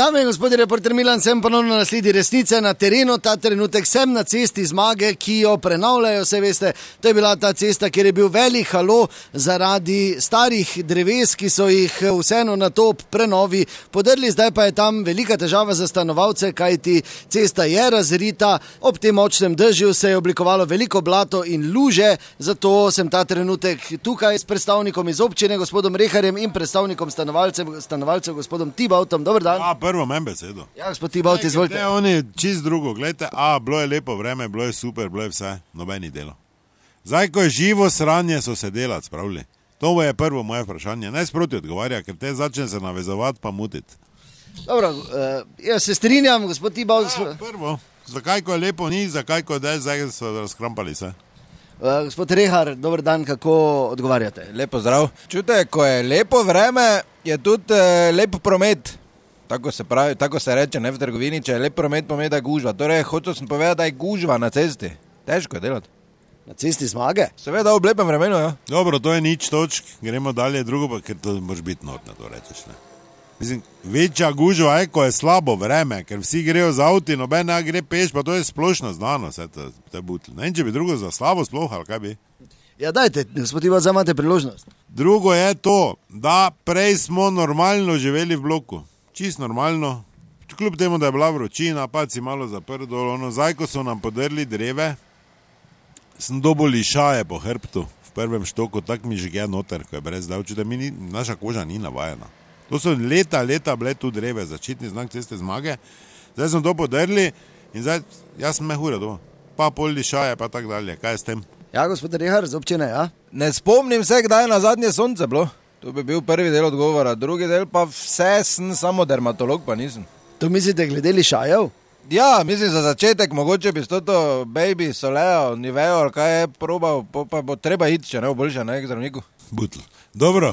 Dame in gospodje, reporter Milan, sem ponovno na sledi resnice na terenu. Ta trenutek sem na cesti Zmage, ki jo prenavljajo, vse veste. To je bila ta cesta, kjer je bil velik halo zaradi starih dreves, ki so jih vseeno na to prenovi podrli. Zdaj pa je tam velika težava za stanovalce, kajti cesta je razrita. Ob tem močnem dežju se je oblikovalo veliko blato in luže, zato sem ta trenutek tukaj s predstavnikom iz občine, gospodom Reharjem, in predstavnikom stanovalcev, gospodom Tibautom. Dober dan. Prvo mem besedo. Ja, gospod Tibaut, izvolite. Ne, oni čist drugo, gledajte, bilo je lepo vreme, bilo je super, bilo je vse, nobeni delo. Zdaj, ko je živo sranje, so se delati spravili. To je prvo moje vprašanje. Ne sproti odgovarja, ker te začne se navezovati pa mutiti. Dobro, jaz se strinjam, gospod Tibaut. Prvo, zakaj ko je lepo ni, zakaj ko je zdaj so razkrampali se. Gospod Rehar, dober dan, kako odgovarjate? Lepo zdrav. Čute, ko je lepo vreme, je tudi lep promet. Tako se pravi, tako se reče, ne v trgovini, če je lep promet, pomeni, da je gužva. Torej, hotel sem povedati, da je gužva na cesti. Težko je delati. Na cesti Zmage? Seveda, v lepem vremenu, ja. Dobro, to je nič točk, gremo dalje, drugo pa, ker to moraš biti notno, to rečeš, ne. Mislim, večja gužva je, ko je slabo vreme, ker vsi grejo z avti, noben gre peš, pa to je splošno znano, vse te butli. Ne vem, če bi drugo za slabo sploh, ali kaj bi? Ja, dajte, gospod Ivan, zamate priložnost. Drugo je to, da prej smo normalno živeli v bloku. Čist normalno, kljub temu, da je bila vročina, pa si malo zaprl dol, zdaj, ko so nam podrli dreve, sem dobil lišaje po hrbtu v prvem štoku, tak mi žge noter, ko je brez davču, da naša koža ni navajena. To so leta bile tu dreve, začetni znak ceste Zmage, zdaj smo to podrli in zdaj, jaz sem mehura doma, pa pol lišaje, pa tak dalje, kaj je s tem? Ja, gospod Rehar, z občine, ja? Ne spomnim se, kdaj je na zadnje sonce bilo. To bi bil prvi del odgovora, drugi del pa vse sem samo dermatolog, pa nisem. To mislite glede lišajev? Ja, mislim za začetek, mogoče bi s toto baby, soleo, nivejo, ali kaj je probal, pa bo treba iti, če ne bo boljše, ne, k zdravniku. Butl. Dobro,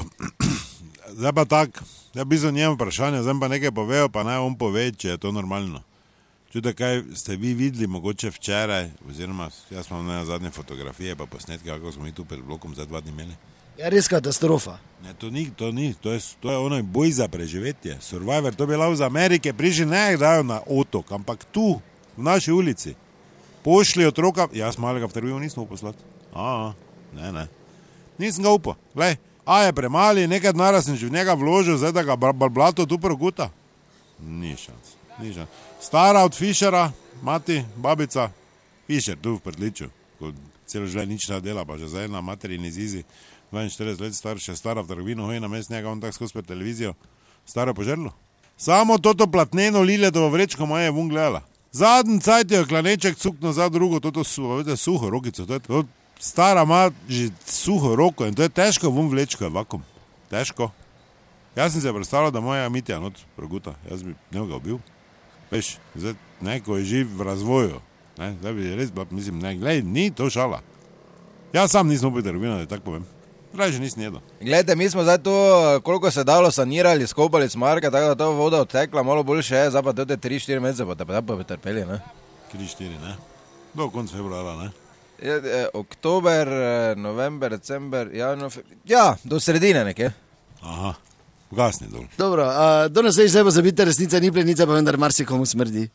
zdaj pa tak, ja bi za njem vprašanje, zdaj pa nekaj povejo, pa naj on pove, če je to normalno. Čute, kaj ste vi videli, mogoče včeraj, oziroma jaz imam na zadnje fotografije, pa posnetke, kako smo mi tu pred blokom za 2 dni imeli. Ja, res katastrofa. Ne, to ni, to je ono boj za preživetje. Survivor, to bi lahko z Amerike prišli, ne dajo na otok, ampak tu, v naši ulici. Pošli otroka, jaz malega v trgovino nisem poslati. Ne. Nisem ga upal. Glej, je premali, nekaj denarja sem že v njega vložil, zdaj da ga blato tu proguta. Ni šans. Stara od Fišera, mati, babica, Fišer tu v Prdliču, ko celo življenje nič ne dela, pa že zdaj na materini zizi. 42 let star, še stara v trgovino, hoji na mest njega, on tak skozi pred televizijo, stara požrlo. Samo toto platneno liletovo vrečko moja je vun gledala. Zadnji cajt je klaneček cukno za drugo, toto suho rokico, to stara ima že suho roko in to je težko vun vlečko, je vakum. Težko. Jaz sem se predstavljal, da moja Mitja not proguta, jaz bi njega ubil. Veš, zdaj neko je živ v razvoju, ne, zdaj bi res bila, mislim, ne, glej, ni to šala. Jaz sam nisem upil trgovino, da tako povem. Raje nisem jedel. Glejte, mi smo zdaj to, koliko se dalo sanirali, skopali Zmarga, tako da to voda odtekla, malo boljše je, zdaj pa te 3-4 mesece, pa bi trpeli, ne? 3-4, ne? Do konca februara, ne? Oktober, november, december, ja, do sredine nekje. Aha, gasni dol. Dobro, do nas zdaj pa zabite, resnica ni plenica, pa vendar marsikomu smrdi.